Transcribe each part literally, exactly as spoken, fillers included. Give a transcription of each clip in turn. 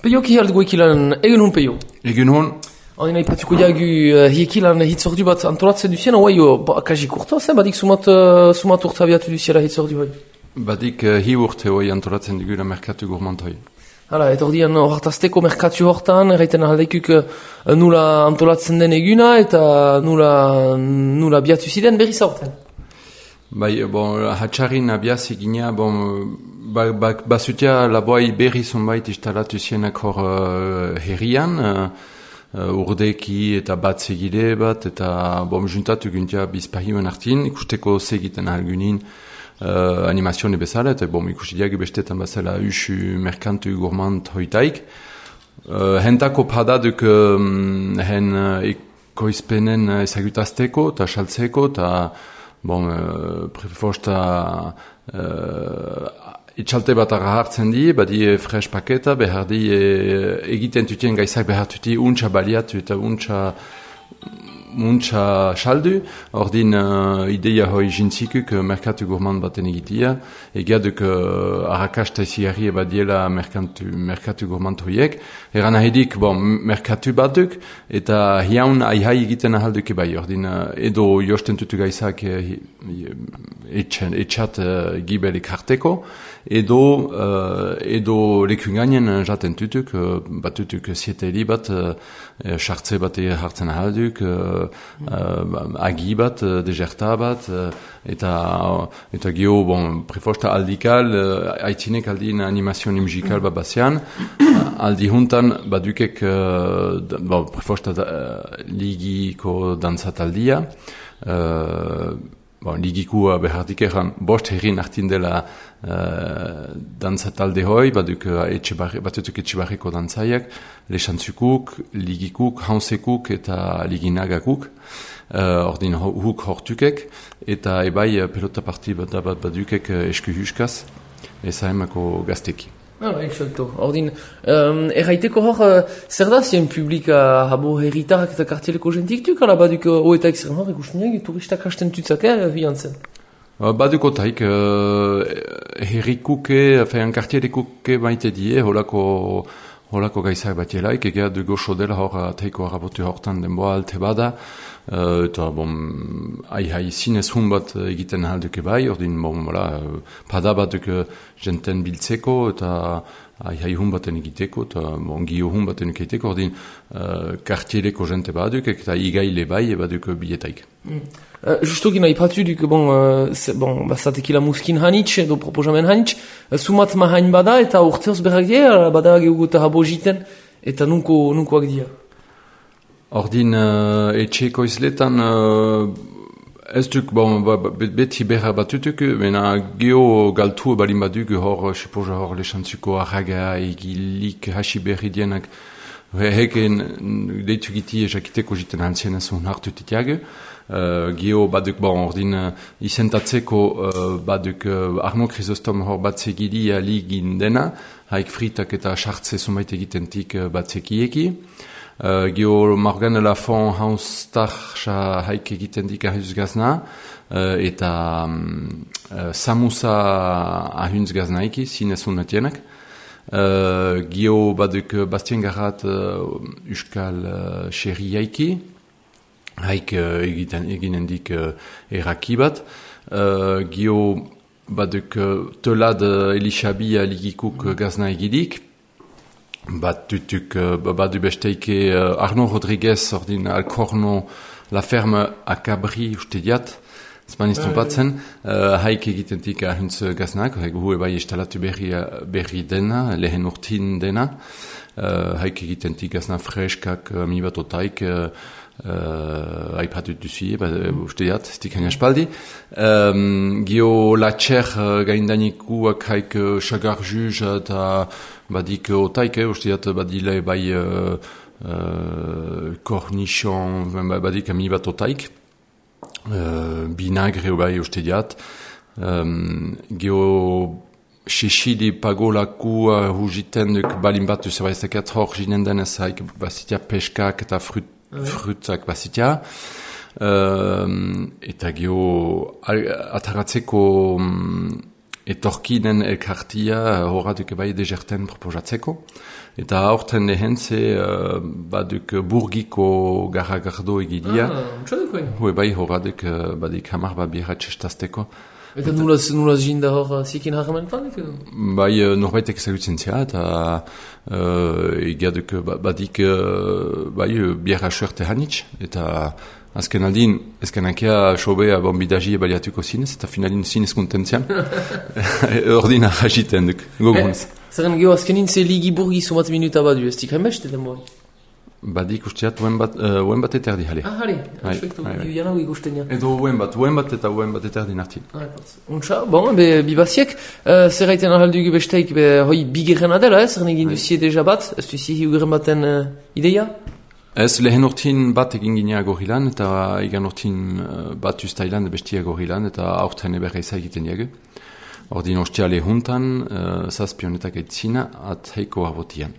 Peio ki held goekilan egun hon peio. Egun hon. Hori nahi patzuko diagu uh, hiekilan hitzordu bat antolatzen duzien, hoi ba, kaji kurta zen, badik sumat, uh, sumat urta abiatu duziela hitzordu hoi. Badik uh, hi urte hoi antolatzen digula merkatu gourmand hoi. Hala, eta hori dian hortazteko merkatu hortan, erraiten ahaldeikuk uh, nula antolatzen den eguna eta nula, nula abiatu ziren berriz aurten. Bai, bon, hatxarin abiaz egina, bon, ba, ba, basutia laboai berri zonbait instalatu zienak hor uh, herrian, uh, uh, urdeki eta bat segile bat, eta bom, juntatu guntia bizpahioen hartin, ikusteko segiten algunin uh, animazione bezala, eta bom, ikustiak bestetan bazala usu merkantu gourmand hoitaik. Uh, hentako padaduk um, hen uh, ekoizpenen ezagutazteko eta saltzeko, eta bon, uh, prefosta uh, itxalte bat arra hartzen di, badi fresh paketa, behar di e, egiten tutien gaizak behar tuti untxa baliatu eta untxa untxa saldu, ordin uh, ideia hoi jintzikuk uh, merkatu gourmand baten egitia, egiaduk uh, arrakasta iziarri ebadiela merkatu, merkatu gourmand hoiek, eran ahedik, bon, merkatu batuk, eta hiaun aihai egiten ahalduk ebai, ordin uh, edo josten tutu gaizak uh, etxat uh, gibelik harteko, edo uh, edo lekungainen jaten tutuk, uh, batutuk sieteli bat, sartze uh, bat hartzen ahalduk, uh, uh, agi bat, uh, deserta bat, uh, eta, uh, eta geho, bon, prefosta aldikal, uh, aitzinek aldin animazioni musikal bat bazian, uh, aldi juntan badukek, uh, bon, prefosta uh, ligiko danzataldia, uh, bon, ligikua behardik eran bost herrin hartin dela uh, danzatalde hoi, baduk uh, batutuk etxibarriko dantzaiak, lesantzukuk, ligikuk, hansekuk eta liginagakuk, uh, ordin huk hortukek, eta ebai pelota parti bat bat badukek uh, esku huskaz, ezaemako gazteki. Ah, exacto. Ordin, um, erraiteko hor, uh, zer da zien publika habo herritarrak eta kartieleko jentik tuk, ala baduk oetaik zer hor, ikusten turistak hasten tutzake, bian zen? Uh, baduk otaik, uh, herrikuke, fean kartielekuke baite die, holako, holako gaizak batielaik, egea dugo sodela hor, teiko harabotu hortan denboa alte bada, Uh, eta, bon, ai-hai zinez hun bat egiten ahalduke bai, ordin, bon, voilà, uh, pada batuk uh, jenten biltzeko, eta ai-hai hun baten egiteko, eta, bon, gio hun baten egiteko, ordin, uh, kartieleko jente baduk, eta igaile bai, baduk biletaik. Mm. Uh, justo gina ipatu duk, bon, uh, bon, bazatekila muskin hanitz, edo proposamen hanitz, uh, sumat mahain bada, eta urteoz berrak dira, bada geugota habo jiten, eta nunko, nunkoak dira. Ordin, uh, etxeko izletan, uh, ez duk, bon, beti berra batutuk, mena geho galtu balin baduk, hor, sepoja hor lesantzuko arraga, egilik, hasi berri dienak, heken deitu giti ejakiteko jiten hantzien ez un hartu titiag, uh, geho baduk, bon, ordin, uh, izentatzeko uh, baduk uh, Arno Chrysostom hor batzegili aligin dena, haik fritak eta sartze sumait egitentik uh, batzekieki, Uh, Geo Morgan Lafont haustarxa haik egiten dik ahuz gazna, uh, eta um, uh, samusa ahunz gaznaiki, zinezun natienak. Uh, Geo baduk Bastien Garrat uh, uskal uh, xerri haiki, haik uh, egiten eginen dik uh, eraki bat. Uh, Geo baduk uh, telad uh, Elishabi aligikuk uh, gazna egidik, bat tutuk uh, badu besteike uh, Arno Rodriguez ordin Alcorno la ferme a Cabri uste diat Spanish topatzen uh, haik egitentik ahuntz gaznak hu bai instalatu berri, berri dena lehen urtin dena uh, haik egitentik gazna freskak uh, mi bat otaik uh, uh, aipatut duzie ba, mm. uste diat stik hain aspaldi um, gio la txer uh, gaindanikuak haik uh, chagar juj eta badik otaik, eh, usteat badile bai uh, uh, cornichon, badik ami bat otaik, uh, binagre bai usteat, um, geho xexili pagolaku uh, hujiten duk balin bat zebaizeket hor jinen denez haik bazitia peskak eta frut, ouais. frutzak bazitia, uh, eta geho ataratzeko um, etorkinen elkartia horratuk bai deserten proposatzeko. Eta aurten lehentze uh, baduk burgiko garragardo egidia. Ah, untxaduk bai. Hue bai horratuk uh, badik hamar bat biarra txestazteko. Eta nulaz, nulaz jinda hor zikin harremen planik edo? Bai norbaitek ezagutzen zia eta uh, egiaduk badik uh, bai biarra suerte hanitz. Eta azken aldin, ezken ankea sobea bon bidaji ebaliatuko zinez, eta finalin zinez kontentzian. Ordina jagiten duk, gogunez. Zerren geho azkenin ze ligi burgi sumat minuta badu, ez dik hainbeste den boi? Badik usteat uen bat, uh, uen bat eterdi jale. Ah, jale, perfecto, janau ikusten ja. Edo uen bat, uen bat eta uen bat eterdi nartin. Untxa, bon, be, bibaziek, uh, zer gaiten ahaldugu besteik, be, hoi, bigeren adela, ez, zer negin duzie deja bat, ez duzie hiugeren baten uh, ideia? Ez lehen urtin bat egin ginea gorilan, eta igan urtin uh, bat ustailan bestia gorilan, eta aurten eberra izan egiten diagu. Ordin ostiale juntan, uh, zazpionetak aitzina, at heiko abotian.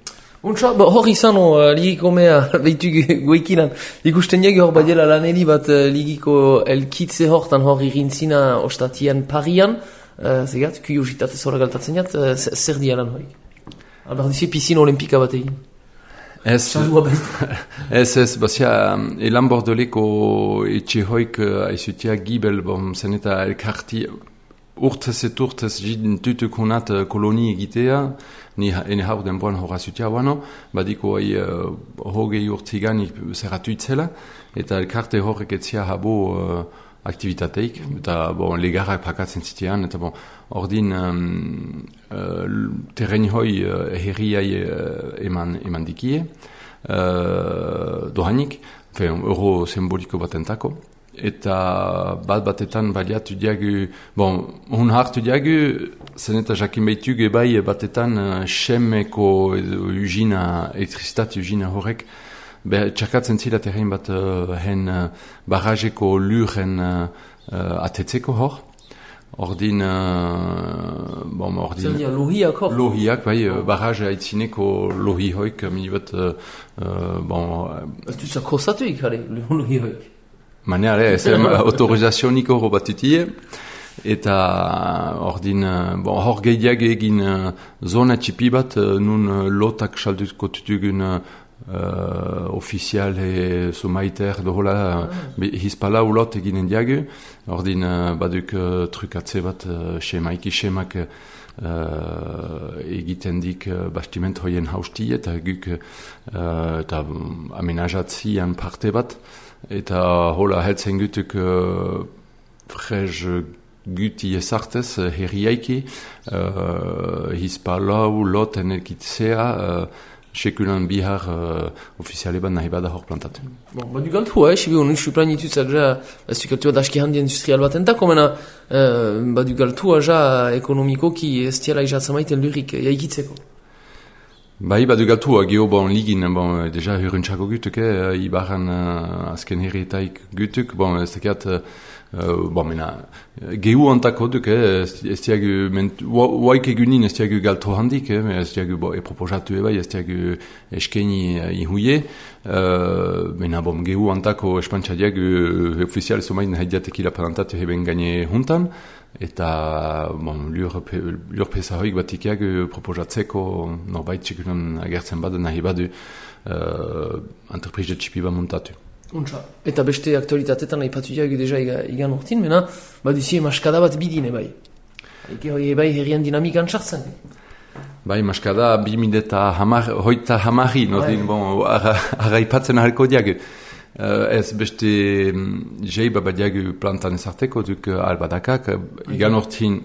Untxa, ba, hor izan o, uh, ligiko mea, behitu goikinan, ikusten diagu hor badela laneli bat uh, ligiko elkitze hortan hor irintzina ostatian parian, uh, zegat, kuriositatez hor galtatzen jat, uh, zer dia lan horik? Albar dizie piscina olimpika bat egin. Ez, ez, ez, bazia, elan bordoleko etxe hoik aizutia gibel, bom, zen eta elkarti, urtez et urtez jidin tutuk honat koloni egitea, ni ene hau denboan hor aizutia wano, badiko hai uh, hogei urtigan zerratu itzela, eta elkarte horrek etzia habo uh, aktivitateik, eta bon, legarrak pakatzen zitean, eta bon, ordin um, uh, terren hoi uh, herriai uh, eman, eman dikie, uh, dohanik, fe, euro simboliko batentako, eta bat batetan baliatu diagu, bon, hun hartu diagu, zen eta jakin behitugu bai batetan uh, xemeko ugina, elektrizistat ugina horrek, Be, txarkatzen zila terrein bat uh, hen uh, barrajeko luren uh, uh, atetzeko hor. Ordin, uh, bon, ordin... Zer dia, lohiak hor? Lohiak, bai, uh, barraj haitzineko lohi hoik, mini bat, uh, uh, bon... Ez du zako zatuik, hale, lohi hoik. Mane, hale, ez autorizazioniko hor batutie. Eta ordin, uh, bon, hor gehiag egin uh, zona txipi bat, uh, nun uh, lotak salduko tutugun uh, Uh, ofizial e somaiter dohola ah. Hispala ulot eginen diagu ordin uh, baduk uh, trukatze bat uh, xemaiki xemak uh, egiten dik uh, bastiment hoien hausti eta guk uh, eta amenajatzian parte bat eta hola heltzen gutuk uh, frez guti ezartez uh, herriaiki uh, Hispala ulot enekitzea uh, sekulan bihar uh, ofiziale bat nahi bada hor plantatu. Bon, ba du galtu, eh, sibi honi isu planitut ja, ez du galtu adaski handi industrial bat entako, mena, uh, ba du galtu ja ekonomiko ki ez tiela izatzen maiten lurik jaikitzeko. Bai, ba du galtu, geho bon ligin, bon, deja hurrentzako gutuk, eh, ibaran uh, azken herrietaik gutuk, bon, ez tekiat, uh, Uh, bon, mena, gehu antako duk, eh, ez diagu, waik egunin ez diagu galto handik, eh, ez diagu bo, eproposatu ebai, ez diagu eskeni uh, ihuie, uh, mena, bon, gehu antako espantxa diagu ofizial somain haidiatekila palantatu heben gaine juntan, eta, bon, lur, lur pesa hoik batikiak proposatzeko norbait txekunan agertzen badu nahi badu uh, entreprise txipi bat montatu. Untxa. Eta beste aktualitatetan aipatu diagu deja igan urtin, mena, baduzie maskada bat bidine bai. Eke hoi bai herrian dinamikan txartzen. Bai, maskada bi mideta hamar, hoita hamarri, nordin, bon, ara ipatzen ahalko diagu. Uh, ez beste jei babadiagu plantan ezarteko duk albadakak, igan urtin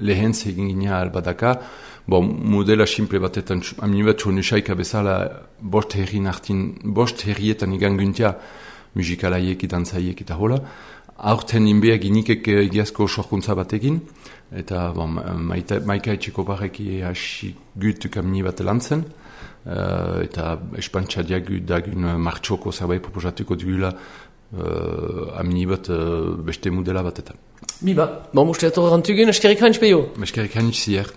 lehentz egin gina albadaka, bon, modela simple batetan, aminibat nusaika bezala, bost herri nartin, bost herrietan igan guntia, musikalaiek, dantzaiek eta hola. Aurten inbeak inikek egiazko sorkuntza batekin, eta bon, maika etxeko barreki hasi gutuk amini bat lantzen, uh, eta espantxa diagu dagun martxoko zerbait proposatuko dugula uh, amini bat uh, beste modela batetan. Biba, bon, muste atorrantugun, eskerrik hanitz peio. Eskerrik hanitz zier.